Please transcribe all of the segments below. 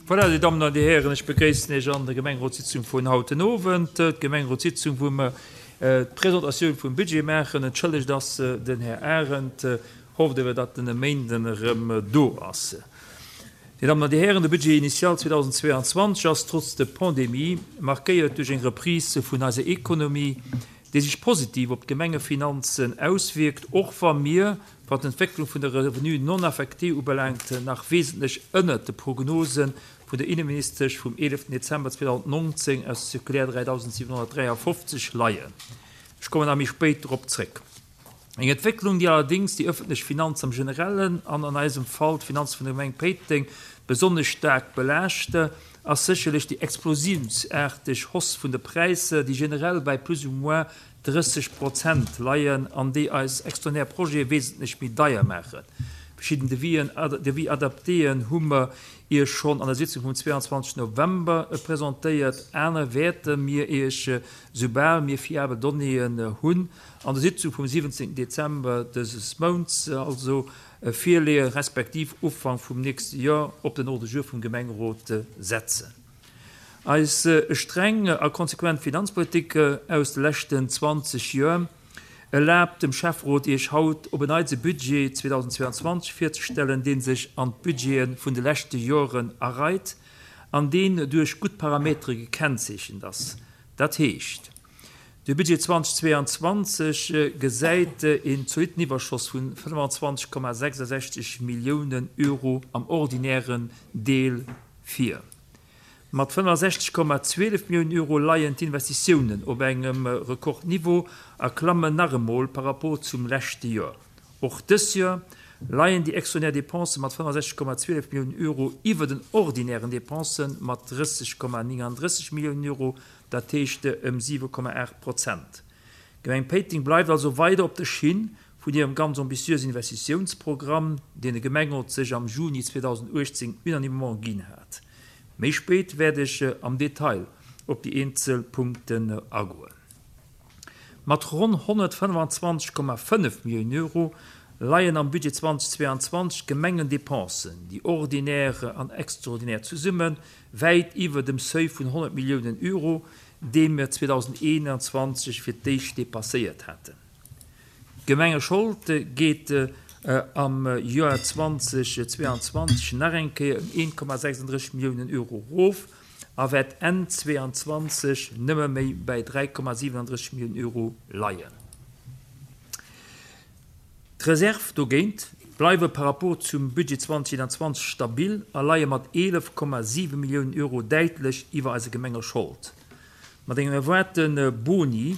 Voilà, Dir Dammen an Dir Hären, ech begréissen Iech an der Gemengerotssitzung vun haut den Owend. D'Gemengerotssitzung, wou mer d'Presentatioun vum Budget maachen. Entschëllegt ass den Här Arendt, hofft awer, datt en e Méinden erëm do ass. Dir Dammen an Dir Hären, de Budget initial 2022 ass trotz der Pandemie markéiert duerch eng Reprise vun eiser Ekonomie, déi sech positiv op d'Gemengefinanzen auswierkt, och wa mir, Wat d'Entwécklung vun de Revenus non affectés ubelaangt, nach wesentlech ënnert de Prognose vun der Inneministesch vum 11 Dezember 2019 aus der Circulaire 3753 leien. Ech kommen nach méi spéit dorop zréck. Eng Entwécklung, déi allerdéngs déi ëffentlech Finanz am Generellen an an eisem Fall d'Finanze vun der Gemeng Péiteng besonnesch staark belaascht, ass sécherlech déi explosiounsaarteg Hausse vun de Präisser, déi generell bei plus ou moins 30 Prozent leien an déi eis extraordinär Projete wesentlech méi deier maachen. Verschidden Devis'en, Devis adaptéen hu mer Iech schonn an der Sitzung vum 22 November presentéiert. Aner wäerte mir Iech, soubal mir fiabel Donnéeën hunn, an der Sitzung vum 17 Dezember dëses Mounts also virleeën, respektiv Ufank vum nächste Joer op den Ordre du jour vum Gemengerot setzen. Eis streng a konsequent Finanzpolitik aus de leschten 20 Joer erlaabt dem Schäfferot Iech haut op en Neits e Budget 2022 virzestellen, dee sech an d'Budgete vun de leschte Joren areit an deen duerch gutt Parametere gekennzeechent ass. Dat heescht, de Budget 2022 gesäit een zolitten Iwwerschoss vu 25,66 Milliounen Euro am ordinären Deel vir. Mat 65,12 Milliounen Euro leien d'Investitiounen op engem Rekordniveau a klammen nach emol par rapport zum leschte Joer. Och dës Joer leien déi extraordinär Depensë mat 65,12 Milliounen Euro iwwer den ordinären Depensë mat 30,39 Milliounen Euro, dat heescht ëm 7,8 Prozent. D'Gemeng Péiteng bleift also weider op der Schinn vun hirem ganz ambitiösen Investitiounsprogramm, deen de Gemengerot sech am Juni 2018 unanimement ginn hat. Méi spéit wäert ech am Detail op déi eenzel Punkten agoen. Mat ronn 125,5 Milliounen Euro leien am Budget 2022 d'Gemengendepensen, déi ordinär an extraordinär zesummen, wäit iwwer dem Seuil vun 100 Milliounen Euro, dee mir 2021 fir d'éischt dépasséiert haten. D'Gemengeschold geet am Joer 2022 nach eng Kéier ëm 1,36 Milliounen Euro erof a wäert Enn 2022 nëmme méi bäi 3,37 Milliounen Euro leien. D'Reserve dogéint bleiwe par rapport zum Budget 2021 stabil a leie mat 11,7 Milliounen Euro däitlech iwwer eiser Gemengeschold. Mat engem erwaarte Boni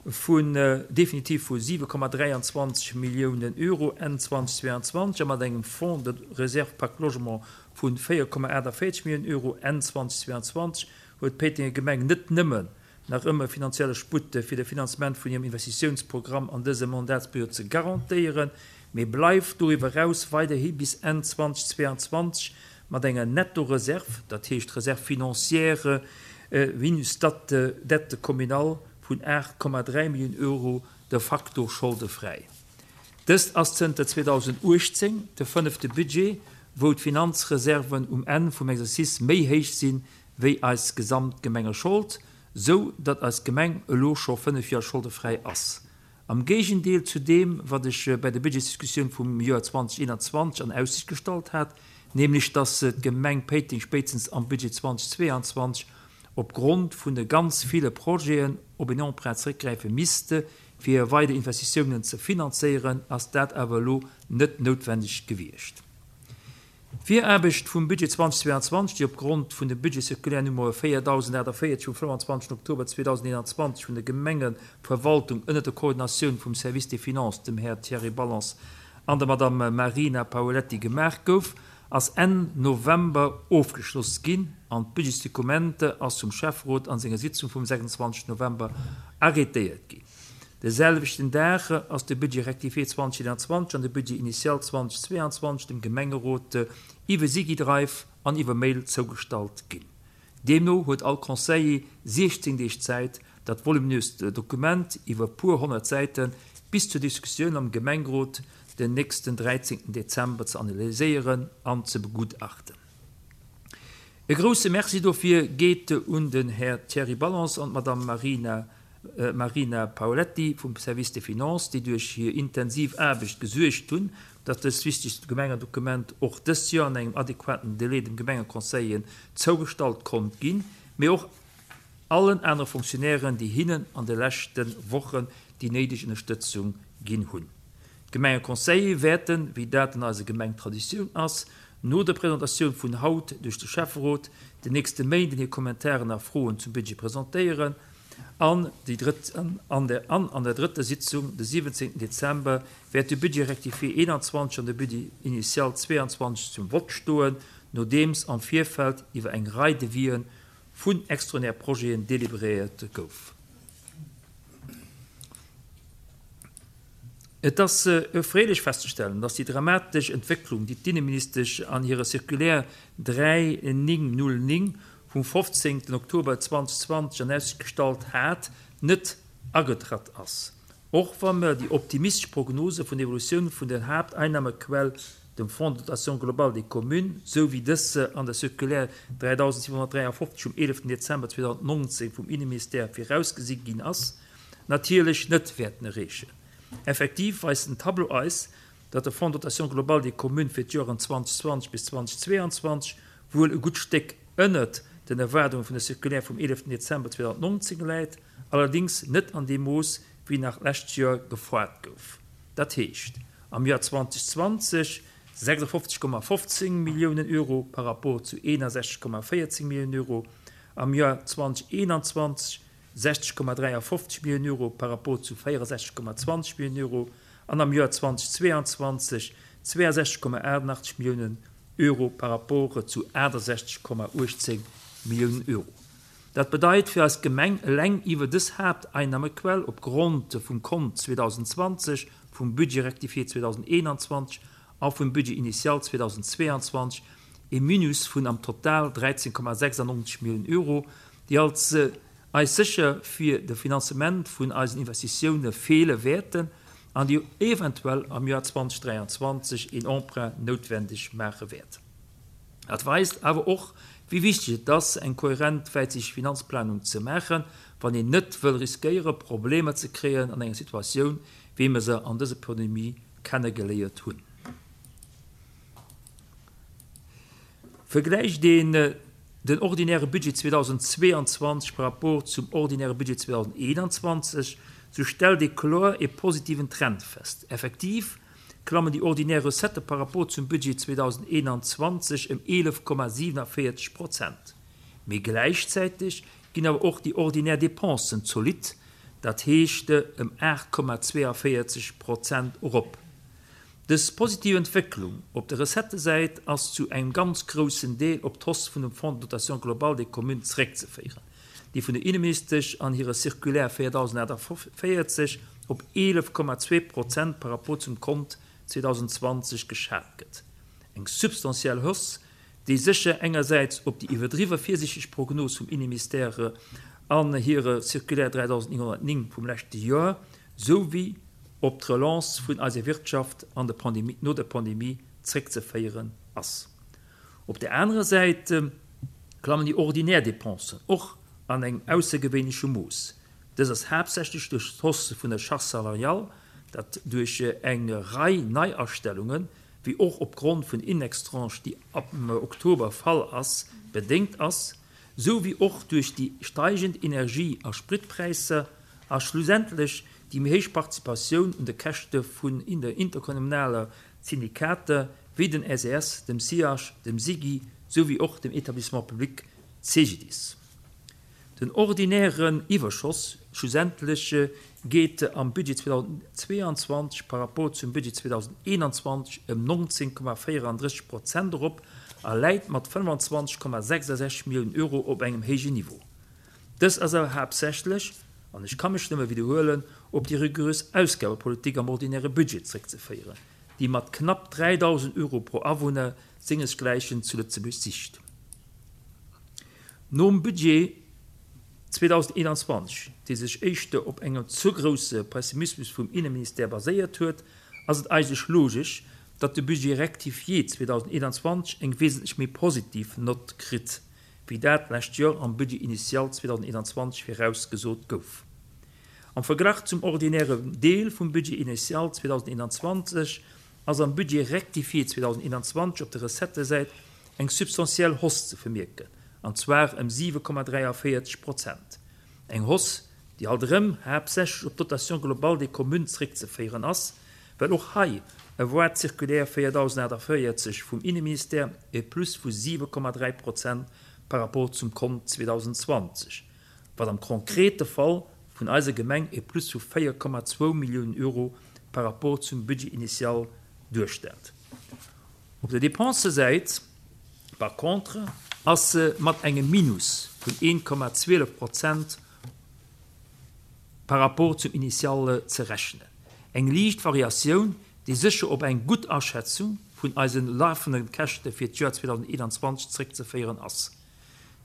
vun definitiv vu 7,23 Milliounen Euro Enn 2022 a mat engem Fonds de réserve Pacte Logement vu 4,48 Milliounen Euro Enn 2022 huet d'Péitenger Gemeng net nëmmen nach ëmmer finanzielle Sputt fir de Finanzement vun hirem Investitiounsprogramm an dëser Mandatsperiod ze garantéieren, mee bleift doriwwer eraus weiderhi bis Enn 2022 mat enger Nettoreserv, dat heescht Réserve financière minus dette communale, vun 8,3 Milliounen Euro de facto scholdefräi. Dëst ass zënter 2018 de fënnefte Budget, wou d'Finanzreserven um Enn vum Exercice méi héich sinn, wéi eis gesamt Gemengeschold, sou datt eis Gemeng elo scho 5 Joer scholdefräi ass. Am Géigendeel zu deem, wat ech bäi der Budgetsdiskussioun vum Joer 2021 an Aussicht gestallt hat, nämlech datt d'Gemeng Péiteng spéitstens am Budget 2022 op Grond vun de ganz ville Projeten op en Emprunt zeréckgräife misste fir hir weider Investitiounen ze finanzéieren, ass dat awer elo net noutwendeg gewiescht. D'Viraarbecht vum Budget 2022, déi op Grond vun dem Budget-Circulaire Nummer 4048 vum 25 Oktober 2021 vun der Gemengeverwaltung ënnert der Koordinatioun vum Service des Finances, dem Här Thierry Ballance an der Madame Marina Paoletti gemaach gouf, ass Enn November ofgeschloss ginn an d'Budgetsdokumente ass vum Schäfferot an senger Sitzung vum 26 November arrêtéiert ginn. De selwechten Dag ass de Budget rectifié 2021 an de Budget initial 2022 dem Gemengerot iwwe Sigidrive an iwwer Mail zougestallt ginn. Deemno huet all Conseiller 16 Deeg Zäit, dat voluminöst Dokument iwwer puer 100 Säite bis zur Diskussioun am Gemengerot den nächsten 13 Dezember ze analyséieren an ze begutachten. E grousse Merci dofir geet un den Här Thierry Ballance an d'Madame Marina Marina Paoletti vum Service des Finances, déi duerch hir intensiv Aarbecht gesuergt hunn, datt dëst wichtegt Gemengedokument och dëst Joer an engem adequaten Delai dem Gemengeconseiller zougestallt konnt ginn, mee och allen anere Fonctionnairen, déi hinnen an de leschte Wochen déi néideg Ënnerstëtzung ginn hunn. D'Gemengeconseiller wäerten, wéi dat an eiser Gemeng Traditioun ass, no der Presentatioun vun haut duerch de Schäfferot, den nächste Méinden hir Kommentaren a Froen zum Budget presentéieren an déi drëtt an der an an der drëtter Sitzung de 17 Dezember wäert de Budget rectifié 21 an de Budget initial 22 zum Vott stoen, nodeems am Virfeld iwwer eng Rei Devisë vun extraordinaire Projeten deliberéiert gouf. Et ass erfreelech festzestellen, dass déi dramatesch Entwécklung, déi d'Inneministesch an hirer Circulaire 3909 vum 15 Oktober 2020 an Aussicht gestallt hat, net agetratt ass. Och wa mer déi optimistesch Prognose vun der Evolutioun vun der Haapteinnahmequell, dem Fonds de dotation globale des communes, sou wéi dës se an der Circulaire 3753 vum 11 Dezember 2019 vum Inneministère virausgesi ginn ass, natierlech net wäerten erreechen. Effektiv weist den Tableau eis, datt de Fonds de dotation globale des communes fir d'Joren 2020 bis 2022 wuel e gutt Stéck ënnert den Erwaardunge vun der Circulaire vum 11 Dezember 2019 läit, allerdéngs net an deem Mooss, wéi nach d'lescht Joer gefoart gouf. Dat heescht am Joer 2020 56,15 Milliounen Euro par rapport zu 61,14 Milliounen Euro, am Joer 2021 60,53 Milliounen Euro par rapport zu 64,20 Milliounen Euro an am Joer 2022 62,88 Milliounen Euro par rapport zu 68,18 Milliounen Euro. Dat bedeit fir eis Gemeng eleng iwwer dës Haapteinnahmequell op Grond vum Kont 2020, vum Budget rectifié 2021 a vum Budget initial 2022 e Minus vun am Total 13,96 Milliounen Euro, déi als eis sécher fir de Finanzement vun eisen Investitioune feele wäerten an déi eventuell am Joer 2023 een Emprunt noutwendeg maache wäert. Dat weist awer och, wéi wichteg et ass, eng kohärent wäitsichteg Finanzplanung ze maachen, wann een net wëll riskéiere Problemer ze kréien an enger Situatioun, wéi mer se an dëser Pandemie kennegeléiert hunn. Vergläicht een den ordinäre Budget 2022 par rapport zum ordinäre Budget 2021, sou stellt ee kloer ee positiven Trend fest. Effektiv klammen déi ordinär Recettë par rapport zum Budget 2021 ëm 11,47 Prozent. Mee gläichzäiteg ginn awer och déi ordinär Dépensen zolidd, dat heescht ëm 8,42 Prozent erop. Dës positiv Entwécklung op der Recettësäit ass zu engem ganz groussen Deel op d'Hausse vun dem Fonds de dotation globale des communes zeréckzeféieren, déi vun der Inneministesch an hirer Circulaire 4048 op 11,2 Prozent par rapport zum Kont 2020 geschat gëtt. Eng substantiell Hausse, déi sécher engersäits op déi iwwerdriwwe virsiichteg Prognos vum Inneministère an hirer Circulaire 3909 vum leschte Joer souwéi op d'Relance vun eiser Wirtschaft an der Pandemie, no der Pandemie zréckzeféieren ass. Op där anerer Säit klammen déi ordinär Dépensen och an engem aussergewéinleche Mooss. Dës ass haaptsächlech duerch d'Hausse vun der Charge salariale, dat duerch eng Rei Neiastellungen, wéi och opgrond vun Indextranche, déi ab Oktober fall ass, bedéngt ass, sou wéi och duerch déi steigend Energie a Spritpräisser a schlussendlech déi méi héich Participatioun un de Käschte vun der interkommunaler Syndikater wéi den SES, dem SIAS, dem SIGI sou wéi och dem Etablissement public CGDIS. Den ordinären Iwwerschoss schlussendlech geet am Budget 2022 par rapport zum Budget 2021 ëm 19,34 Prozent erop a läit mat 25,66 Milliounen Euro op engem héijen Niveau. Dës ass awer haaptsächlech, an ech ka mech nëmme widderhuelen, op déi rigurös Ausgabepolitik am ordinäre Budget zréckzeféieren, déi mat knapp 3.000 Euro pro Awunner sengesgläichen zu Lëtzebuerg sicht. Nom Budget 2021, dee sech éischter op engem ze grousse Pessimismus vum Inneministère baséiert huet, ass et eigentlech logesch, datt de Budget rectifié 2021 eng wesentlech méi positiv Nott kritt. wéi dat d'lescht Joer am Budget initial 2021 virausgesot gouf. Am Verglach zum ordinäre Deel vum Budget initial 2021 ass am Budget rectifié 2021 op der Recettësäit eng substantiell Hausse ze vermierken, an zwar ëm 7,43 Prozent. Eng Hausse, déi alt erëm haaptsächlech op d'Dotation globale des communes zréckzeféieren ass, well och hei e voie circulaire 4048 vum Inneministère e Plus vu 7,3 Prozent par rapport zum Kont 2020, wat am konkrete Fall vun eiser Gemeng e Plus vu 4,2 Milliounen Euro par rapport zum Budget initial duerstellt. Op der Dépensësäit par contre ass se mat engem Minus vun 1,12 Prozent par rapport zum Initial ze rechnen. Eng liicht Variatioun, déi sécher op eng gutt Aschätzung vun eise lafende Käschte fir d'Joer 2021 zréckzeféieren ass.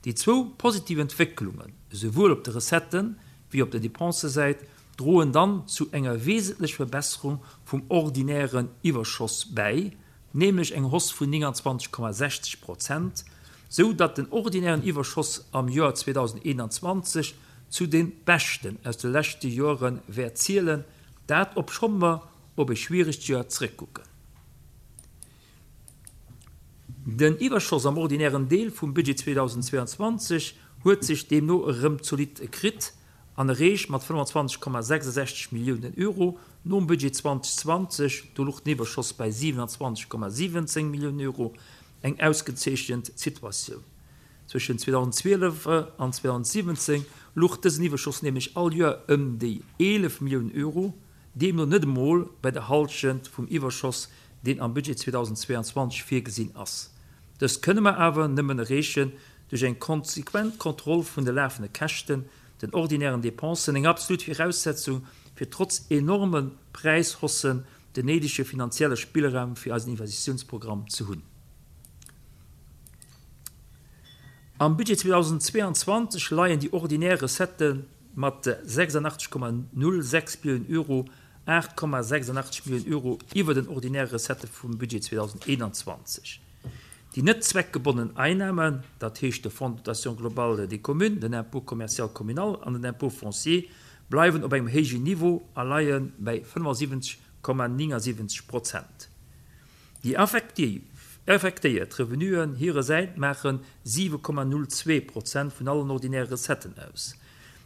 Déi zwou positiv Entwécklungen, esouwuel op de Recetten wéi op der Dépensësäit, droen dann zu enger wesentlech Verbesserung vum ordinären Iwwerschoss bäi, nämlech eng Hausse vun 29,60 Prozent, sou datt den ordinären Iwwerschoss am Joer 2021 zu de beschten aus de leschte Joere wäert zielen, dat obscho mer op e schwieregt Joer zrëckkucken. Den Iwwerschoss am ordinären Deel vum Budget 2022 huet sech deemno erëm zolidd kritt an erreecht mat 25,66 Milliounen Euro nom Budget 2020, do luch den Iwwerschoss bei 27,17 Milliounen Euro, eng ausgezeechent Situatioun. Zwëschen 2012 an 2017 luch dësen Iwwerschoss nämlech all Joer ëm déi 11 Milliounen Euro, deemno net emol bei der Hallschent vum Iwwerschoss, deen am Budget 2022 virgesinn ass. Dëst kënne mer awer nëmmen erreechen duerch eng konsequent Kontroll vun de lafende Käschten, den ordinären Dépensen, eng absolut Viraussetzung fir trotz enorme Präishaussen den néidege finanzielle Spillraum fir eisen Investitiounsprogramm ze hunn. Am Budget 2022 leien déi ordinär Recettë mat 86,06 Milliounen Euro 8,86 Milliounen Euro iwwer den ordinäre Recettë vum Budget 2021. Déi net zweckgebonnen Einnahmen, dat heescht de Fonds de dotation globale des communes, den Impôt commercial communal an den Impôt foncier, bleiwen op engem héijen Niveau a leie bäi 75,79 Prozent. Déi affektéiert Revenuen hiresäit maache 7,02 Prozent vun allen ordinäre Recetten aus.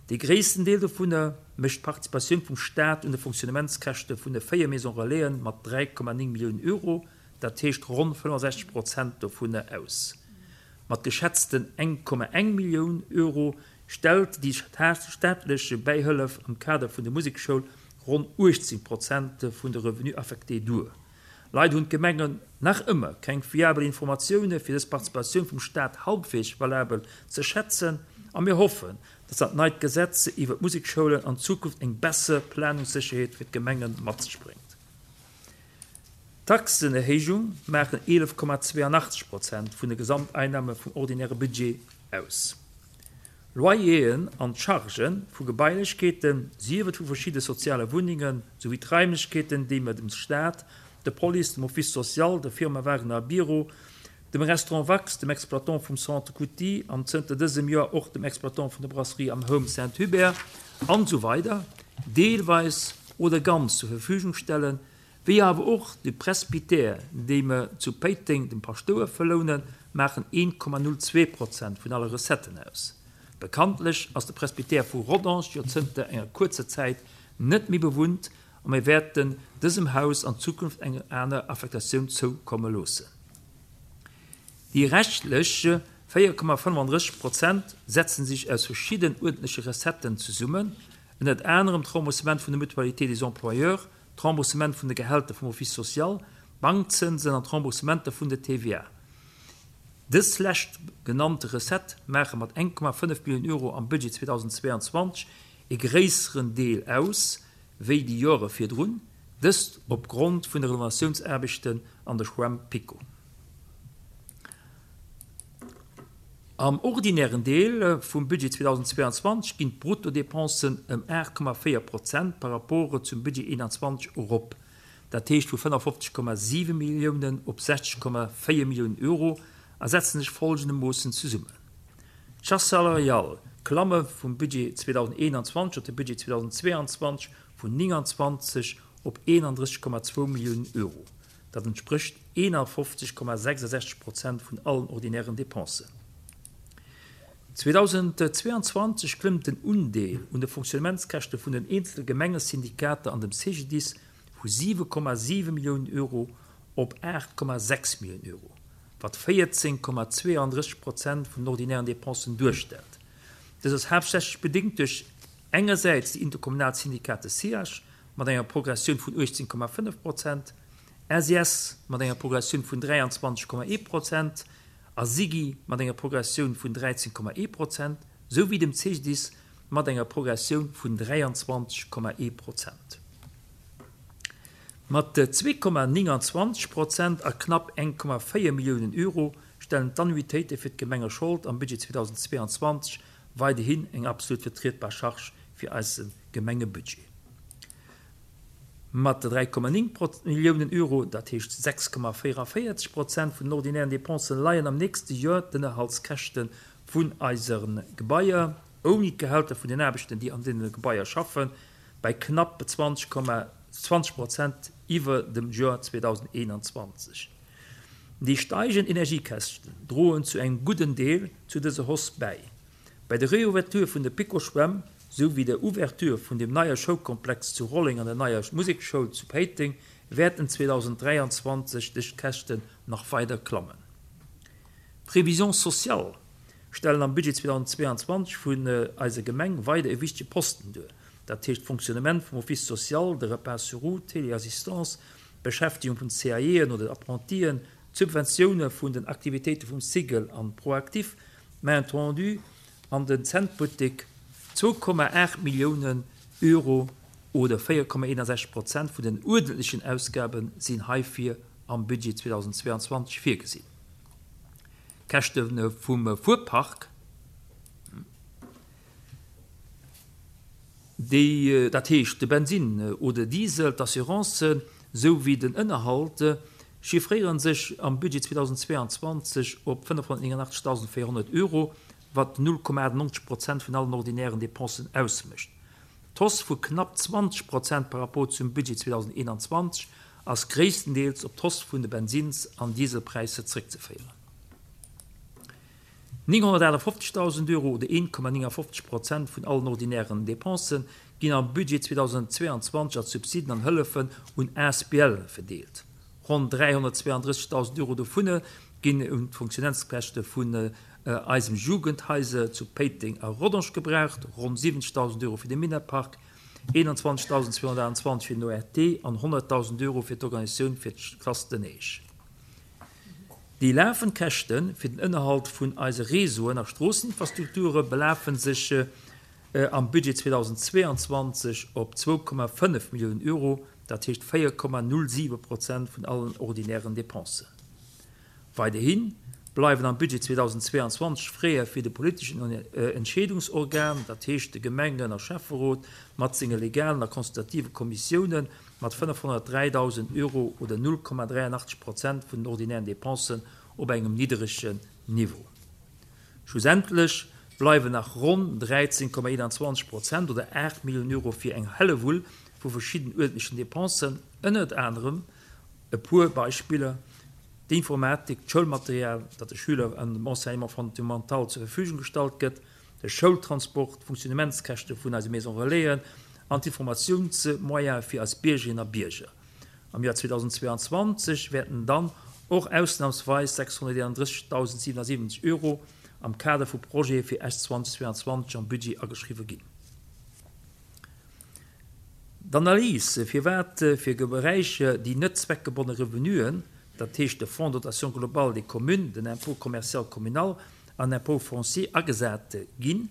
Dee gréissten Deel dovunner mécht d'Participatioun vum Staat un de Fonctionnementskäschte vun de 4 Maisons Relaisen mat 3,9 Milliounen Euro, dat heescht ronn 65 Prozent dovunner aus. Mat geschätzten 1,1 Millioun Euro stellt déi staatlech Bäihëllef am Kader vun der Musekschoul ronn 18 Prozent vun de Revenus affectés duer. Leider hunn d'Gemengen nach ëmmer keng fiabel Informatioune fir dës Participatioun vum Staat halbwegs valabel ze schätzen a mir hoffen, dass dat neit Gesetz iwwer d'Musekschoulen an Zukunft eng besser Planungssécherheet fir d'Gemenge mat sech bréngt. D'Taxenerhéijung maachen 11,82 Prozent vun de Gesamteinnahme vum ordinäre Budget aus. Loyeren an d'Chargë vu Gebailechkeeten, sief et vu verschidde soziale Wunnengen, souwéi d'Raimlechkeeten, déi mer dem Staat, der Police, dem Office social, der Firma Wagner a Biro, dem Restaurant Wax, dem Exploitant vum Centre Couty an zënter dësem Joer och dem Exploitant vun der Brasserie am Home Saint-Hubert, an esou weider deelweis oder ganz zur Verfügung stellen, wéi awer och de Presbytère, dee mer zu Péiteng dem Paschtouer verlounen, maachen 1,02 Prozent vun alle Recetten aus. Bekanntlech ass de Presbytère vu Rodange jo zënter enger kuerzer Zäit net méi bewunnt a mir wäerten dësem Haus an Zukunft eng aner Affektatioun zoukomme loossen. Déi reschtlech 4,35 Prozent setzen sech aus verschidden uerdentleche Recetten zesummen, ënnert anerem d'Remboursement vun der Mutualité des employeurs, d'Remboursement vun de Gehälter vum Office social, d'Bankzënsen an d'Remboursementer vun der TVA. Dës lescht genannte Recettë maache mat 1,5 Milliounen Euro am Budget 2022 e gréisseren Deel aus wéi déi Joere virdrun, dëst op Grond vun de Renovatiounsaarbechten an der Schwämm PiKo. Am ordinären Deel vum Budget 2022 ginn d'Bruttodepensen ëm 8,4 Prozent par rapport zum Budget 21 erop, dat heescht vu 55,7 Milliounen op 60,4 Milliounen Euro a setzen sech folgendermoossen zesummen. D'Charges salariales klamme vum Budget 2021 op de Budget 2022 vun 29 op 31,2 Milliounen Euro. Dat entsprécht 51,66 Prozent vun allen ordinären Dépensen. 2022 klëmmt den Undeel un de Fonctionnementskäschte vun den eenzele Gemengesyndikater an dem CGDIS vu 7,7 Milliounen Euro op 8,6 Milliounen Euro, wat 14,32 Prozent vun den ordinären Dépensen duerstellt. Dës ass haaptsächlech bedéngt duerch engersäits déi interkommunal Syndikate SIAG mat enger Progressioun vun 18,5 Prozent, SIS mat enger Progressioun vun 23,1 Prozent a SIGI mat enger Progressioun vun 13,1 Prozent, souwéi dem CGDIS mat enger Progressioun vun 23,1 Prozent. Mat 2,29 Prozent a knapp 1,4 Milliounen Euro stellen d'Annuitéite fir d'Gemengeschold am Budget 2022 weiderhin eng absolut vertrietbar Charge fir eise Gemengebudget. Mat 3,9 Milliounen Euro, dat heescht 6,44 Prozent vun den ordinären Dépensen, leien am nächste Joer d'Ënnerhaltskäschte vun eise Gebaier, ouni d'Gehälter vun den Aarbechten, déi an deene Gebaier schaffen, bei knapp 20 Prozent iwwer dem Joer 2021. Déi steigend Energiekäschten droen zu engem gudden Deel zu dëser Hausse bäi. Bei der Reouverture vun der PiKo-Schwämm sou wéi der Ouverture vun dem neie Schoulkomplex zu Rolleng an der neier Musekschoul zu Péiteng wäerten 2023 dës Käschten nach weider klammen. D'Prévisions sociales stellen am Budget 2022 vun eiser Gemeng weider e wichtege Posten duer, dat heescht d'Fonctionnement vum Office social, de Repas sur roues, d'Téléassistance, d'Beschäftegung vun CAEen oder Apprentien, d'Subventioune vun den Aktivitéite vum Cigl an ProActif, d'Main tendue an den Zentbuttek, 2,8 Milliounen Euro oder 4,61 Prozent vun den uerdentlechen Ausgabe sinn heifir am Budget 2022 virgesinn. D'Käschte vum Fuerpark, déi, dat heescht de Bensinn oder Diesel, d'Assurancen sou wéi den Ënnerhalt, chiffréiere sech am Budget 2022 op 589.400 Euro, wat 0,98 Prozent vun allen ordinären Dépensen ausmécht. D'Hausse vu knapp 20 Prozent par rapport zum Budget 2021 ass gréisstendeels op d'Hausse vun de Bensins an Dieselpräisser zréckzeféieren. 958.000 Euro oder 1,59 Prozent vun allen ordinären Dépensen ginn am Budget 2022 als Subsiden an Hëllefen un Asbl verdeelt. Ronn 332.000 Euro dovunner ginn un d'Fonctionnentskäschte vun eisem Jugendhaiser zu Péiteng a Rodange gebraucht, ronn 70.000 Euro fir de Minetpark, 21.228 fir den ORT an 100.000 Euro fir d'Organisatioun fir d'Classe de Neige. Déi lafend Käschte fir den Ënnerhalt vun eise Réseauen a Stroosseninfrastrukture belafe sech am Budget 2022 op 2,5 Milliounen Euro, dat heescht 4,07 Prozent vun allen ordinären Dépensen. Weiderhi bleiwen am Budget 2022 Fräe fir de politeschen Entscheedungsorgan, dat heescht de Gemengen a Schäfferot mat senge legalen a consultative Kommissiounen, mat 503.000 Euro oder 0,83 Prozent vun den ordinären Dépensen op engem nidderegen Niveau. Schlussendlech bleiwen nach ronn 13,21 Prozent oder 8 Milliounen Euro fir eng Hellewull vu verschidden uerdentlechen Dépensen, ënnert anerem, e puer Beispiller, d'Informatik, d'Schoulmaterial, dat de Schüler an dem Enseignement fondamental zur Verfügung gestallt gëtt, de Schoultransport, d'Funktionnementskäschte vun eise Maison Relaisen an d'Informatiounsmoyene fir eis Biergerinnen a Bierger. Am Joer 2022 wäerten dann och ausnamsweis 631.077 Euro am Kader vu Projete fir Esch 2022 am Budget ageschriwwe ginn. D'Analys, firwat fir Beräicher déi net zweckgebonne Revenuen, dat heescht de Fonds de dotation globale des communes, den Impôt commercial communal an Impôt foncier agesat ginn,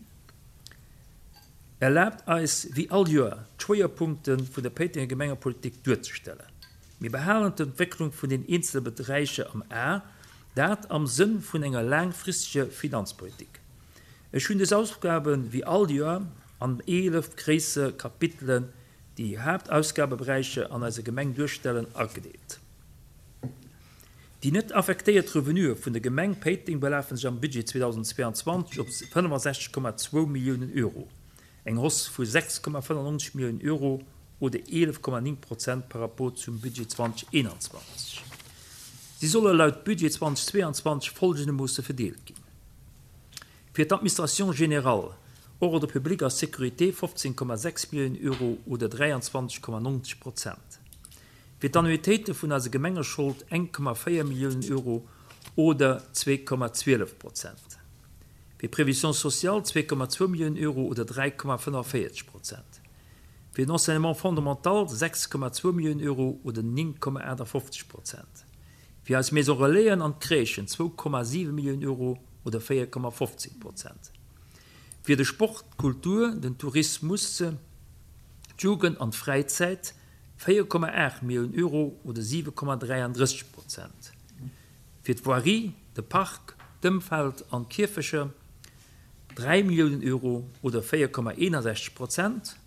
erlaabt eis wéi all Joer d'Schwéierpunkte vun der Péitenger Gemengepolitik duerzestellen. Mir behalen d'Entwécklung vun den eenzele Beräicher am A, dat am Sënn vun enger laangfristeger Finanzpolitik. Ech hunn dës Ausgabe wéi all Joer an 11 gréisser Kapitelen, déi Haaptausgabeberäicher an eiser Gemeng duerstellen, agedeelt. Déi net affektéiert Revenuë vun der Gemeng Péiteng belafe sech am Budget 2022 op 65,2 Milliounen Euro, eng Hausse vu 6,95 Milliounen Euro oder 11,9 Prozent par rapport zum Budget 2021. Si solle laut Budget 2022 folgendermoosse verdeelt ginn, Fir d'Administration générale, Ordre public a Sécurité 15,6 Milliounen Euro oder 23,90 Prozent, Fir d'Annuitéite vun eiser Gemengeschold 1,4 Milliounen Euro oder 2,12 Prozent. Fir d'Prévision sociale 2,2 Milliounen Euro oder 3,45 Prozent. Fir den Enseignement fondamental 6,2 Milliounen Euro oder 9,58 Prozent. Fir eis Maison Relaisen an d'Crèchen 2,7 Milliounen Euro oder 4,15 Prozent. Fir de Sport, d'Kultur, den Tourismus, d'Jugend an d'Fräizäit 4,8 Milliounen Euro oder 7,33 Prozent. Fir d'Voirie, de Park, d'Ëmfeld an d'Kierfecher 3 Milliounen Euro oder 4,61 Prozent.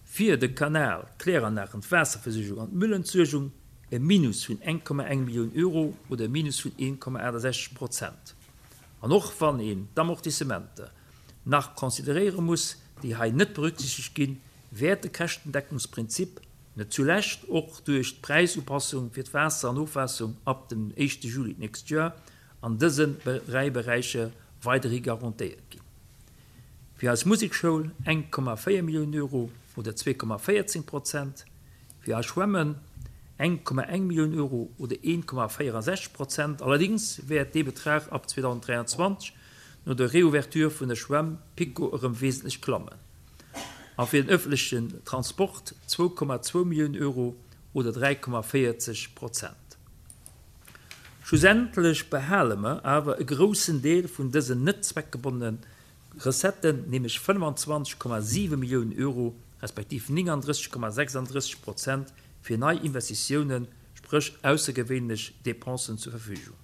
Fir de Kanal, d'Kläranlagen, d'Waasserversuergung an d'Müllentsuergung e Minus vun 1,1 Millioun Euro oder e Minus vun 1,68 Prozent. An och wann een d'Amortissementer nach consideréiere muss, déi hei net berücksichtegt ginn, wäert de Käschtendeckungsprinzip, net zulescht och duerch d'Präisupassung fir d'Waasser an Ofwaasserung ab dem éischte Juli d'nächst Joer, an dësen 3 Beräicher weiderhi garantéiert ginn. Fir eis Musekschoul 1,4 Milliounen Euro oder 2,14 Prozent, fir eis Schwämmen 1,1 Millioun Euro oder 1,64 Prozent. Allerdéngs wäert dee Betrag ab 2023 no der Reouverture vun der Schwämm PiKo erëm wesentlech klammen. A fir den ëffentlechen Transport 2,2 Milliounen Euro oder 3,40 Prozent. Schlussendlech behale mer awer e groussen Deel vun dësen net zweckgebonnene Recetten, nämlech 25,7 Milliounen Euro respektiv 39,36 Prozent fir nei Investitiounen, spréch aussergewéinlech Dépensen zur Verfügung.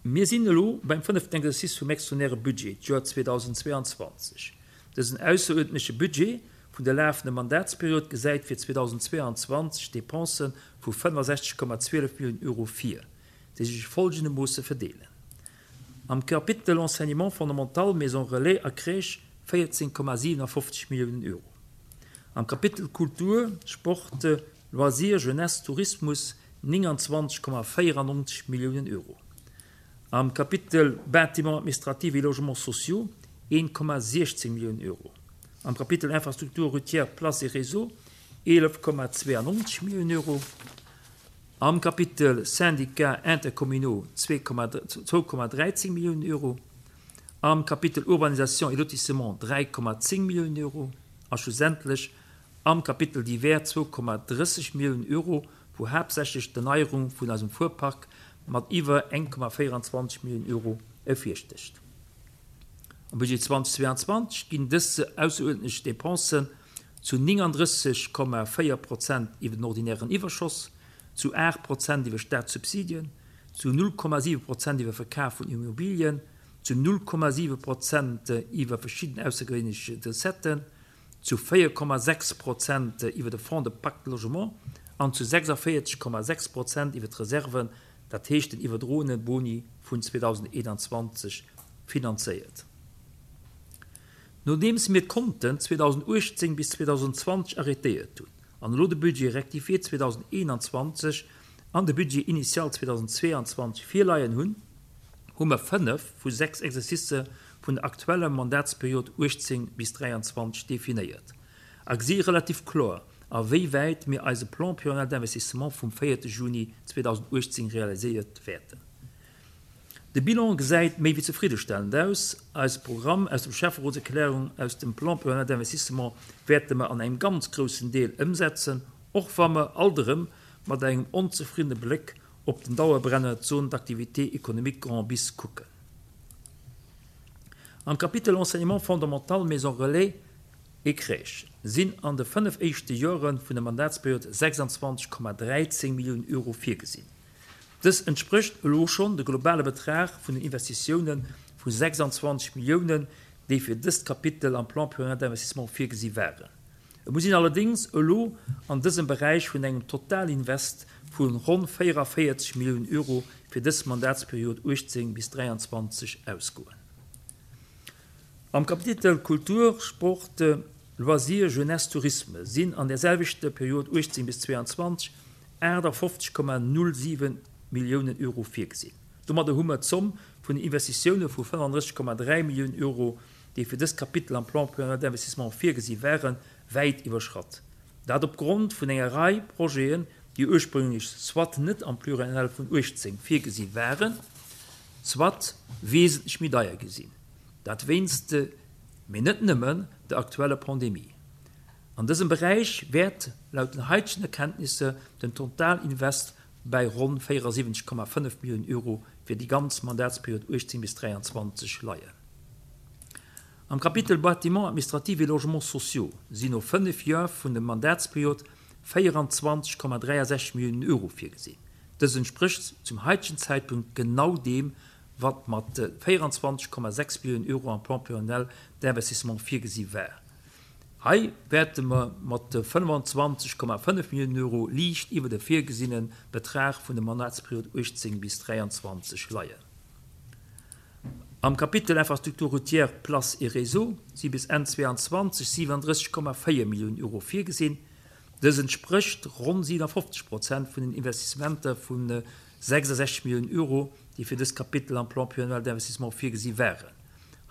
Mir sinn elo beim fënneften Exercice vum extraordinäre Budget, d'Joer 2022. Dësen ausseruerdentleche Budget vun der lafende Mandatsperiod gesäit fir 2022 Depensë vu 65,12 Milliounen Euro vir, déi sech folgendermoosse verdeelen, Am Kapitel Enseignement fondamental, Maisons relais a Crèche 14,57 Milliounen Euro, am Kapitel Kultur, Sport, Loisirs, Jeunesse, Tourismus 29,94 Milliounen Euro, am Kapitel Bâtiments administratifs et logements sociaux 1,16 Milliounen Euro, am Kapitel Infrastructures routières, places et réseaux 11,92 Milliounen Euro, am Kapitel Syndicats intercommunaux 2,13 Milliounen Euro, am Kapitel Urbanisation et lotissement 3,10 Milliounen Euro a schlussendlech am Kapitel Divers 2,30 Milliounen Euro, wou haaptsächlech d'Erneierung vun eisem Fuerpark mat iwwer 1,24 Milliounen Euro ervirstécht. Am Budget 2022 ginn dës ausseruerdentlech Dépensen zu 39,4 Prozent iwwer den ordinären Iwwerschoss, zu 8 Prozent iwwer Staatssubsidien, zu 0,7 Prozent iwwer Verkaf vun Immobilien, zu 0,7 Prozent iwwer verschidden aussergewéinlech Recetten, zu 4,6 Prozent iwwer de Fonds de Pacte Logement an zu 46,6 Prozent iwwer d'Reserven, dat heescht den iwwerdroene Boni vun 2021, finanzéiert. Nodeems mir d'Konten 2018 bis 2020 arrêtéiert hunn an elo de Budget rectifié 2021 an de Budget initial 2022 virleien hunn, hu mer fënnef vu 6 Exercicë vun der aktueller Mandatsperiod 18 bis 23 definéiert a gesi relativ kloer, a wéi wäit mir eise Plan pluriannuel d'investissement vum 4 Juni 2018 realiséiert wäerten. De Bilan gesäit méi wéi zefriddestellend aus. Eise Programm aus dem Schäfferotserklärung aus dem Plan pluriannuel d'investissement wäerte mer an engem ganz groussen Deel ëmsetzen, och wa mer alt erëm mat engem onzefriddene Bléck op den Dauerbrenner d'Zone d'activité économique Grand Bis kucken. Am Kapitel Enseignement fondamental, Maison relais et crèches sinn an de 5 éischte Jore vun der Mandatsperiod 26,13 Milliounen Euro virgesinn. Dës entsprécht elo schonn de globale Betrag vun den Investitioune vu 26 Milliounen, déi fir dëst Kapitel am Plan pluriannuel d'investissement virgesi waren. Et muss een allerdéngs elo an dësem Beräich vun engem Totalinvest vu ronn 44 Milliounen Euro fir dës Mandatsperiod 18 bis 23 ausgoen. Am Kapitel Kultur, Sport, Loisirs, Jeunesse, Tourisme sinn an där selwechter Period 18 bis 22 58,07 Milliounen Euro virgesinn. Domadder hu mer d'Zomm vun den Investitioune vu 35,3 Milliounen Euro, déi fir dëst Kapitel am Plan pluriannuel d'investissement virgesi waren, wäit iwwerschratt. Dat opgrond vun enger Rei Projeten, déi ursprünglech soit net am Pluriannuel vun 18 virgesi waren, soit wesentlech méi deier gi sinn. Dat wéinst, mee net nëmmen, der aktueller Pandemie. An dësem Beräich wäert laut den haitegen Erkenntnisser den Totalinvest bäi ronn 74,5 Milliounen Euro fir déi ganz Mandatsperiod 18 bis 23 leien. Am Kapitel Bâtiments administratifs et logements sociaux sinn no 5 Joer vun der Mandatsperiod 24,63 Milliounen Euro virgesinn. Dëst entsprécht zum haitegen Zäitpunkt genau deem, wat mat 24,6 Milliounen Euro am Plan pluriannuel d'investissement virgesi war. Hei wäerte mer mat 25,5 Milliounen Euro liicht iwwer de virgesinne Betrag vun der Mandatsperiod 18 bis 23 leien. Am Kapitel Infrastructures routières, places et réseaux si bis Enn 22 37,4 Milliounen Euro virgesinn. Dës entsprécht ronn 57 Prozent vun den Investissementer vu 66 Milliounen Euro, déi fir dëst Kapitel am Plan pluriannuel d'investissement virgesi waren.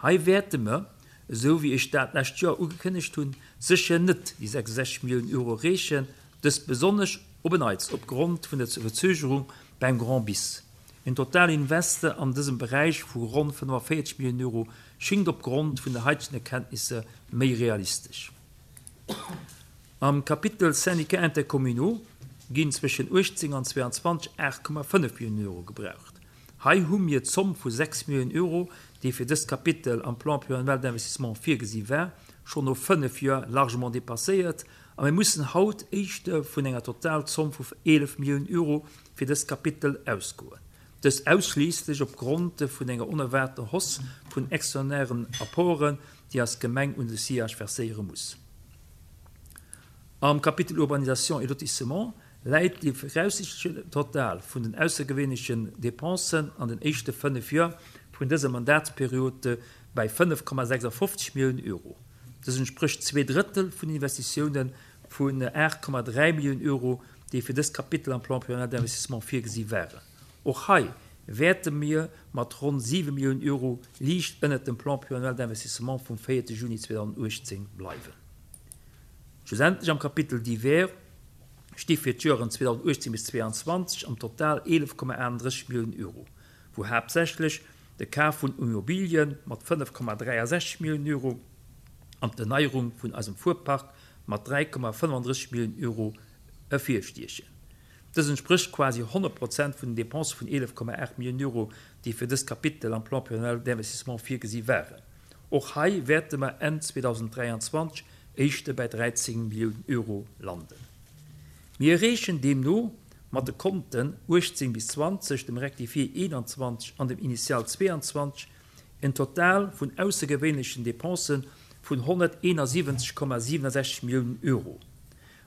Hei wäerte mer, esou wéi ech dat d'lescht Joer ugekënnegt hunn, sécher net déi 66 Milliounen Euro erreechen, dëst besonnesch op en Neits opgrond vun der Verzögerung beim Grand Bis. En Totalinvest an dësem Beräich vu ronn 45 Milliounen Euro schingt opgrond vun de haitegen Erkenntnisser méi realistesch. Am Kapitel Syndicats intercommunaux ginn zwëschen 18 an 22 8,5 Milliounen Euro gebraucht. Hei hu mir d'Zomm vu 6 Milliounen Euro, déi fir dëst Kapitel am Plan pluriannuel d'investissement virgesi war, schonn no 5 Joer largement dépasséiert a mir mussen haut éischter vun enger Totalzomm vu 11 Milliounen Euro fir dëst Kapitel ausgoen, dëst ausschliisslech op Grond vun enger onerwaarter Hausse vun extraordinären Apporten, déi eis Gemeng un de SIAG verséiere muss. Am Kapitel Urbanisation et lotissement läit de viraussiichtleche Total vun den aussergewéinlechen Dépensen an den éischte 5 Joer vun dëser Mandatsperiod bäi 5,56 Milliounen Euro. Dës entsprécht zwee Drëttel vun den Investitioune vun 8,3 Milliounen Euro, déi fir dëst Kapitel am Plan pluriannuel d'investissement virgesi waren. Och hei wäerte mir mat ronn 7 Milliounen Euro liicht ënnert dem Plan pluriannuel d'investissement vum 4 Juni 2018 bleiwen. Schlussendlech am Kapitel Divers sti fir d'Joeren 2018 bis 2022 am Total 11,38 Milliounen Euro, wou haaptsächlech de Kaf vun Immobilien mat 5,63 Milliounen Euro an d'Erneierung vun eisem Fuerpark mat 3,35 Milliounen Euro ervirstiechen. Dës entsprécht quasi 100 Prozent vun den Depensë vun 11,8 Milliounen Euro, déi fir dëst Kapitel am Plan pluriannuel d'investissement virgesi waren. Och hei wäerte mer Enn 2023 éischter bäi 13 Milliounen Euro landen. Mir erreechen deemno mat de Konten 18 bis 20, dem Rectifié 21 an dem Initial 22 en Total vun aussergewéinlechen Depensë vun 171,67 Milliounen Euro,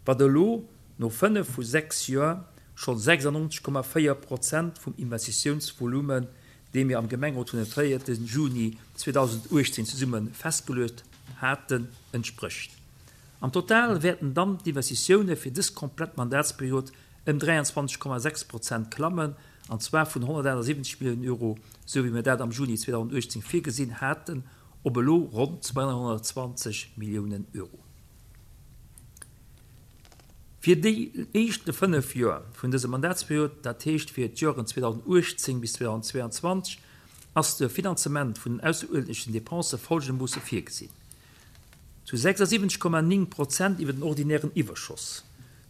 wat elo no 5 vu 6 Joer schonn 96,4 Prozent vum Investitiounsvolumen, dee mir am Gemengerot vun dem 4 Juni 2018 zesumme festgeluecht haten, entsprécht. Am Total wäerten dann d'Investitioune fir dës komplett Mandatsperiod ëm 23,6 Prozent klammen, an zwar vun 178 Milliounen Euro, sou wéi mir dat am Juni 2018 virgesinn haten, op elo ronn 220 Milliounen Euro. Fir déi éischte 5 Joer vun dëser Mandatsperiod, dat heescht fir d'Joren 2018 bis 2022, ass de Finanzement vun den ausseruerdentlechen Depensë folgendermoosse virgesinn, zu 76,9 Prozent iwwer den ordinären Iwwerschoss,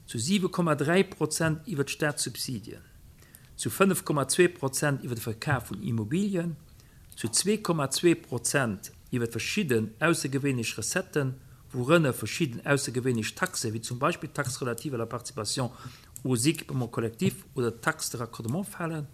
zu 7,3 Prozent iwwer d'Staatssubsidien, zu 5,2 Prozent iwwer de Verkaf vun Immobilien, zu 2,2 Prozent iwwer verschidden aussergewéinlech Recetten, wourënner verschidden aussergewéinlech Taxen, wéi zum Beispill d'Taxe relative à la participation aux équipements collectifs oder d'Taxe de raccordement falen,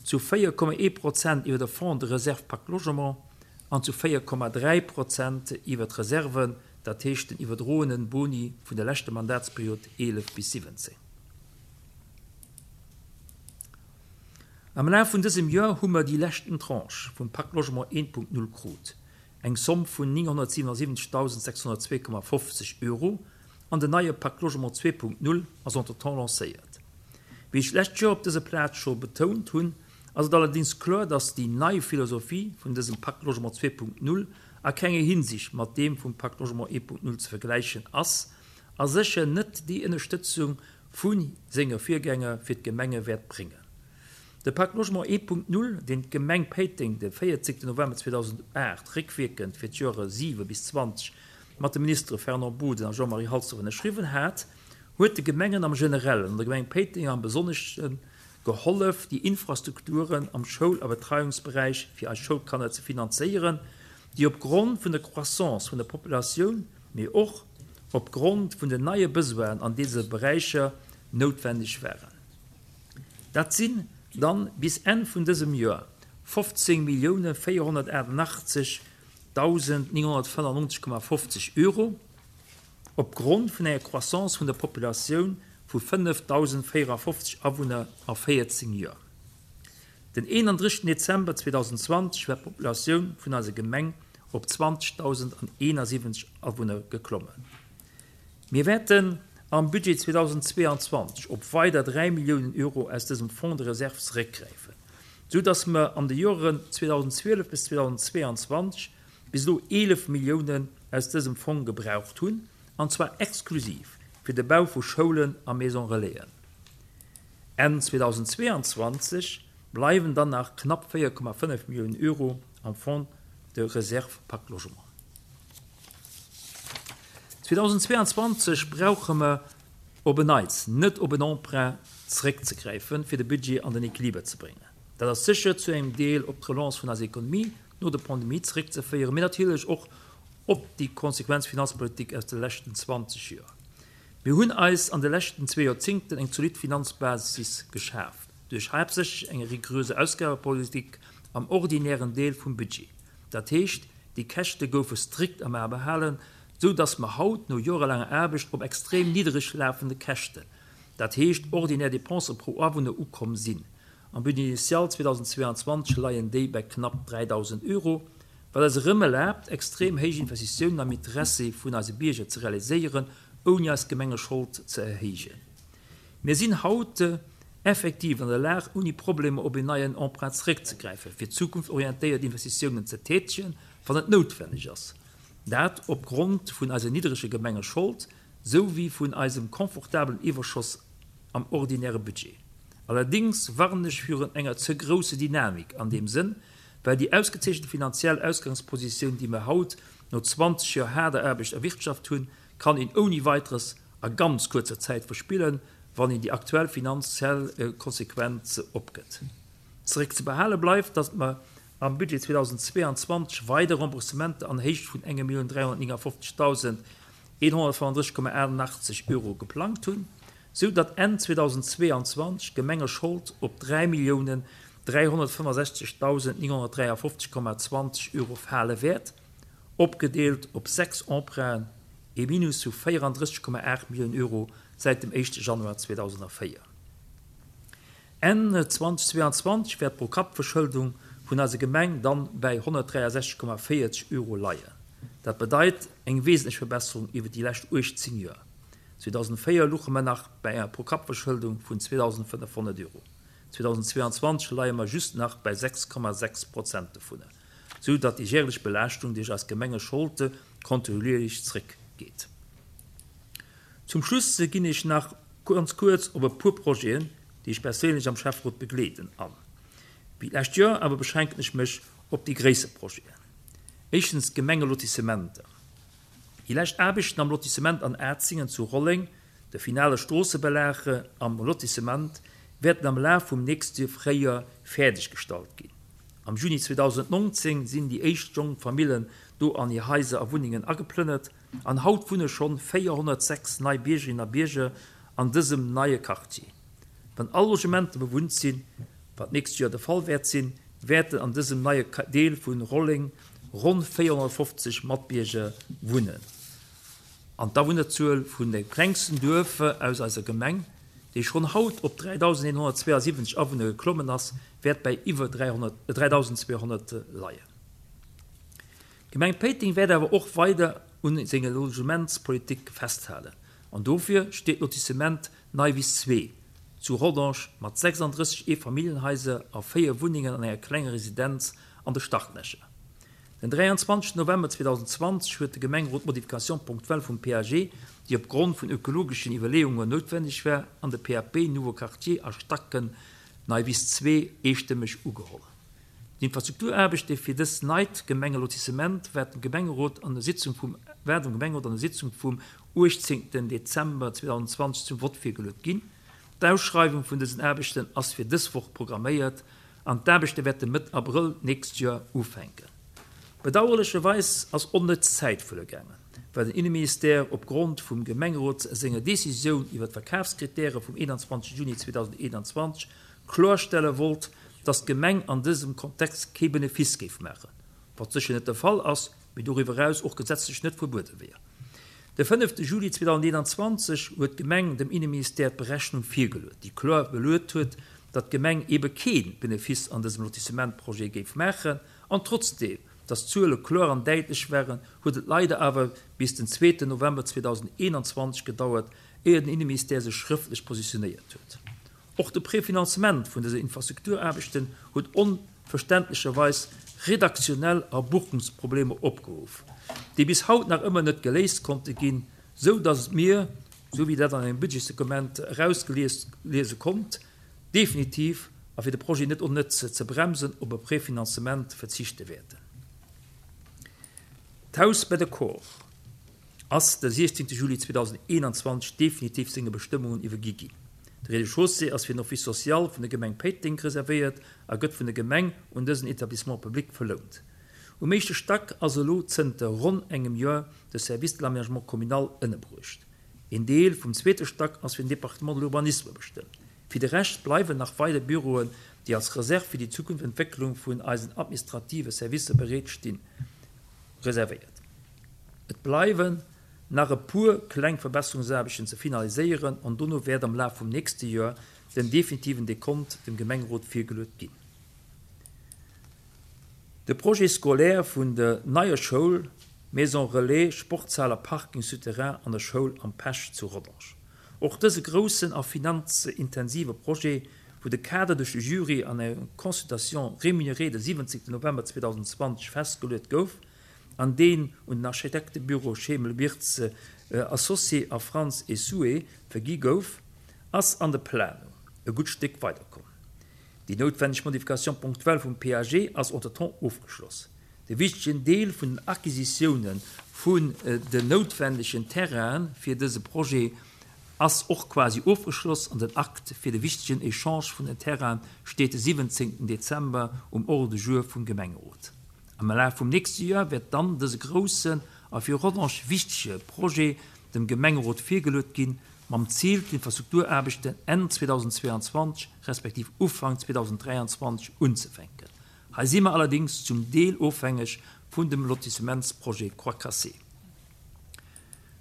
zu 4,1 Prozent iwwer de Fonds de réserve Pacte Logement an zu 4,3 Prozent iwwer d'Reserven. dat heescht den iwwerdroenen Boni vun der leschter Mandatsperiod 11 bis 17. Am Laf vun dësem Joer hu mer déi leschten Tranche vum Pacte Logement 1.0 krut, eng Somm vun 977.602,50 Euro, an den neie Pacte Logement 2.0 ass entretemps lancéiert. Wéi ech d'lescht Joer op dëser Plaz scho betount hunn, ass et allerdéngs kloer, dass déi nei Philosophie vun dësem Pacte Logement 2.0 a kenger Hinsicht mat deem vum Pacte Logement 1.0 ze vergläichen ass a sécher net déi Ënnerstëtzung vu senge Virgänger fir d'Gemenge wäert bréngen. De Pacte Logement 1.0, deen d'Gemeng Péiteng de 14 November 2008 réckwierkend fir d'Joere 7 bis 20 mat de Ministere Fernand Boden a Jean-Marie Halsdorf ënnerschriwwen hat, huet de Gemengen am Generellen an der Gemeng Péiteng am Besonnesche gehollef, déi Infrastrukturen am Schoul a Betreiungsberäich fir eis Schoulkanner ze finanzéieren, déi op Grond vun der Croissance vun der Populatioun, mee och op Grond vun den neie Besoinen an dese Beräicher noutwendeg waren. Dat sinn dann bis Enn vun dësem Joer 15 488 995,50 Euro, op Grond vun enger Croissance vun der Populatioun vu 5.054 Awunner a 14 Joer. Den 31 Dezember 2020 war d'Populatioun vun eiser Gemeng op 20.071 Awunner geklommen. Mir wäerten am Budget 2022 op weider 3 Milliounen Euro aus dësem Fonds de réserve zeréckgräifen, sou dass mer an de Joren 2012 bis 2022 bis elo 11 Milliounen aus dësem Fong gebraucht hunn, an zwar exklusiv fir de Bau vu Schoulen a Maison Relaisen. Enn 2022 bleiwen dann nach knapp 4,5 Milliounen Euro am Fonds de réserve Pacte Logement. 2022 brauche mer op en Neits net op en Emprunt zeréckzegräifen, fir de Budget an den Equiliber ze bréngen. Dat ass sécher zu engem Deel op d'Relance vun eiser Ekonomie no der Pandemie zeréckzeféieren, mee natierlech och op déi konsequent Finanzpolitik aus de leschten 20 Joer. Mir hunn eis an de leschten zwee Joerzingten eng zolidd Finanzbasis geschaaft, duerch haaptsächlech eng riguröse Ausgabepolitik am ordinären Deel vum Budget. Dat heescht, déi Käschte goufe strikt am A behalen, sou dass mer haut no jorelaanger Aarbecht op extrem niddereg lafende Käschten, dat heescht ordinär Dépensen pro Awunner, ukomm sinn. Am Budget initial 2022 leien déi bei knapp 3.000 Euro, wat eis erëm erlaabt, extrem héich Investitiounen am Interessi vun eise Bierger ze realiséieren, ouni eis Gemengeschold ze erhéijen. Mir sinn haut effektiv an der Lag, ouni Problemer op een neien Emprunt zeréckzegräifen, fir zukunftsorientéiert Investitiounen ze tätegen, wann et noutwenneg ass. Dat opgrond vun eiser niddereger Gemengeschold sou wéi vun eisem confortabelen Iwwerschoss am ordinäre Budget. Allerdéngs warnen ech virun enger ze grousse Dynamik an deem Sënn, well déi ausgezeechente finanziell Ausgangspositioun, déi mer haut no 20 Joer haarder Aarbecht erwirtschaft hunn, kann een ouni Weiteres a ganz kuerzer Zäit verspillen, wann een déi aktuell finanziell konsequent opgëtt. Zeréckzebehale bleift, datt mer am Budget 2022 weider Remboursementer an Héicht vun 1.359.135,88 Euro geplangt hunn, sou datt Enn 2022 d'Gemengeschold op 3.365.953,20 Euro fale wäert, opgedeelt op 6 Emprunten, ee Minus vu 34,8 Milliounen Euro säit dem éischte Januar 2004. Enn 2022 wäert d'Pro-Kapp-Verschëldung vun eiser Gemeng dann bäi 163,40 Euro leien. Dat bedeit eng wesentlech Verbesserung iwwer déi lescht 18 Joer. 2004 luche mer nach bäi enger Pro-Kapp-Verschëldung vun 2.500 Euro. 2022 leie mer just nach bäi 6,6 Prozent dovunner, sou datt déi järlech Belaaschtung duerch eis Gemengescholde kontinuierlech zréck geet. Zum Schluss ginn ech nach ganz kuerz op e puer Projeten, déi ech perséinlech am Schäfferot begleeden, an. Wéi d'lescht Joer awer beschränken ech mech op déi gréisser Projeten. Éischtens d'Gemengelotissementer. Déi lescht Aarbechten am Lotissement an Atzingen zu Rolleng, de finale Stroossebelag am Lotissement, wäerten am Laf vum nächste Fréijoer fäerdeg gestallt ginn. Am Juni 2019 sinn déi éischt jonk Famillen do an hir Haiser a Wunnengen ageplënnert an haut wunne schonn 406 nei Biergerinnen a Bierger an dësem neie Quartier. Wann all Logementer bewunnt sinn, wat d'nächst Joer de Fall wäert sinn, wäerten an dësem neie Deel vu Rolleng ronn 450 Matbierger wunnen. An d'Awunnerzuel vun dem klengsten Duerf aus eiser Gemeng, déi schonn haut op 3.172 Awunner geklommen ass, wäert bäi iwwer 3.200 leien. D'Gemeng Péiteng wäert awer och weider un senger Logementspolitik festhalen an dofir steet d'Lotissement Neiwiss 2 zu Rodange mat 36 Eefamilljenhaiser a 4 Wunnengen an enger klenger Residenz an de Startlächer. Den 23 November 2020 huet de Gemengerot d'Modification ponctuelle vum PAG, déi op Grond vun ökologeschen Iwwerleeungen noutwenneg war, an de PAP Nouveau Quartier a Stacken Neiwiss 2 eestëmmeg ugeholl. D'Infrastrukturaarbechte fir dës neit Gemengelotissement waert dem Gemengerot an der Sitzung vum waert dem Gemengerot an der Sitzung vum 18 Dezember 2020 zum Vott virgeluet ginn. D'Ausschreiwung vun dësen Aarbechten ass fir dës Woch programméiert an d'Aarbechte wäerte Mëtt Abrëll d'nächst Joer ufänken. Bedauerlecherweis ass onnëtz Zäit verluer gaangen, well den Inneministère op Grond vum Gemengerot senger Decisioun iwwer d'Verkafskritäre vum 21 Juni 2021 kloerstelle wollt, datt d'Gemeng an dësem Kontext kee Benefice géif maachen, wat sécher net de Fall ass, mee doriwwer eraus och gesetzlech net verbuede wier. De fënnefte Juli 2021 huet d'Gemeng dem Inneministère d'Berechnung virgeluet, déi kloer beluet huet, datt d'Gemeng eebe kee Benefice an dësem Lotissementprojet géif maachen. An trotzdeem, datt d'Zuele kloer an däitlech waren, huet et leider awer bis den zweeten November 2021 gedauert, éier den Inneministère sech schrëftlech positionéiert huet. Och de Prefinanzement vun dëser Infrastrukturaarbechten huet onverständlecherweis redaktionell a Buchungsproblemer opgeruff, déi bis haut nach ëmmer net geléist konnte ginn, sou datt mir, sou wéi dat an engem Budgetsdokument erausgelies liese konnt, definitiv, a fir de Projet net onnëtz ze bremsen, op e Prefinanzement verzichte wäerten. D'Haus bei de Corps. ass de 16 Juli 2021 definitiv senge Bestëmmungen iwwergi ginn. De Rez-de-chaussée ass fir den Office social vun der Gemeng Péiteng reservéiert a gëtt vun der Gemeng un dësen Établissement public verlount. Um éischte Stack ass elo zënter ronn engem Joer de Service de l'aménagement communal ënnerbruecht. Een Deel vum zweete Stack ass fir den Département de l'urbanisme bestëmmt. Fir de Rescht bleiwen nach weider Büroen, déi als Reserve fir déi zukünfteg Entwécklung vun eisen administrative Servicer bereet stinn, reservéiert. Et bleiwen nach e puer kleng Verbesserungsaarbechten ze finaliséieren an dono wäert am Laf vum nächste Joer den definitiven Dekont dem Gemengerot virgeluet ginn. De Projet scolaire vun der neier Schoul, Maison relais, Sportshal a Parking souterrain an der Schoul Am Pesch zu Rodange. Och dëse groussen a finanzintensive Projet, wou de Kader duerch de Jury an enger Consultation rémunérée de 17 November 2020 festgeluet gouf, an deen un den Architektebüro Schemel-Wirtz Associés a Frantz et Soué vergi gouf, ass an de Planung e gutt Stéck weiderkomm. Déi noutwenneg Modification ponctuelle vum PAG ass entretemps ofgeschloss. De wichtegen Deel vun den Acquisitioune vun den noutwendegen Terrainen fir dëse Projet ass och quasi ofgeschloss an den Akt fir de wichtegen Echange vun den Terrainen steet de 17 Dezember um Ordre du jour vum Gemengerot. Am Laf vum nächste Joer wäert dann dëse groussen a fir Rodange wichtege Projet dem Gemengerot virgeluet ginn, mam Zil d'Infrastrukturaarbechten Enn 2022 respektiv Ufank 2023 unzefänken. Hei si mer allerdéngs zum Deel ofhängeg vun dem Lotissementsprojet Croix Cassée.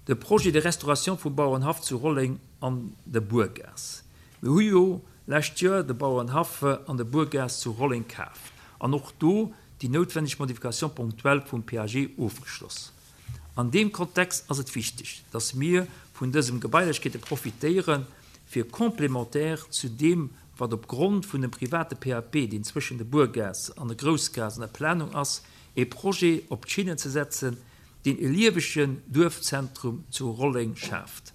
De Projet de restauration vum Bauerenhaff zu Rolleng an der Buergaass. Mir hu jo lescht Joer de Bauerenhaff an der Buergaass zu Rolleng kaf an och do déi noutwenneg Modification ponctuelle vum PAG ofgeschloss. An deem Kontext ass et wichteg, dass mir vun dësem Gebailechkeete profitéieren, fir complémentaire zu deem, wat op Grond vun dem private PAP, deen zwëschen der Buergaass an der Groussgaass an der Planung ass, ee Projet op d'Schinnen ze setzen, deen e liewegen Duerfzentrum zu Rolleng schaaft.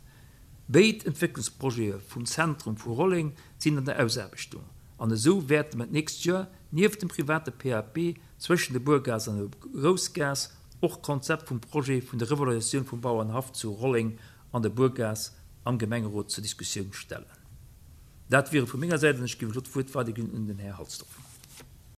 Béid Entwécklungsprojete vum Zentrum vu Rolleng sinn an der Ausaarbechtung an esou wäerte mer d'nächst Joer nieft dem private PAP zwëschen der Buergaass an der Groussgaass och d'Konzept vum Projet vun der Revalorisatioun vum Bauernhaff zu Rolleng an der Buergaass am Gemengerot zur Diskussioun stellen. Dat wier et vu menger Säit an ech géif elo d'Wuert weiderginn un den Här Halsdorf.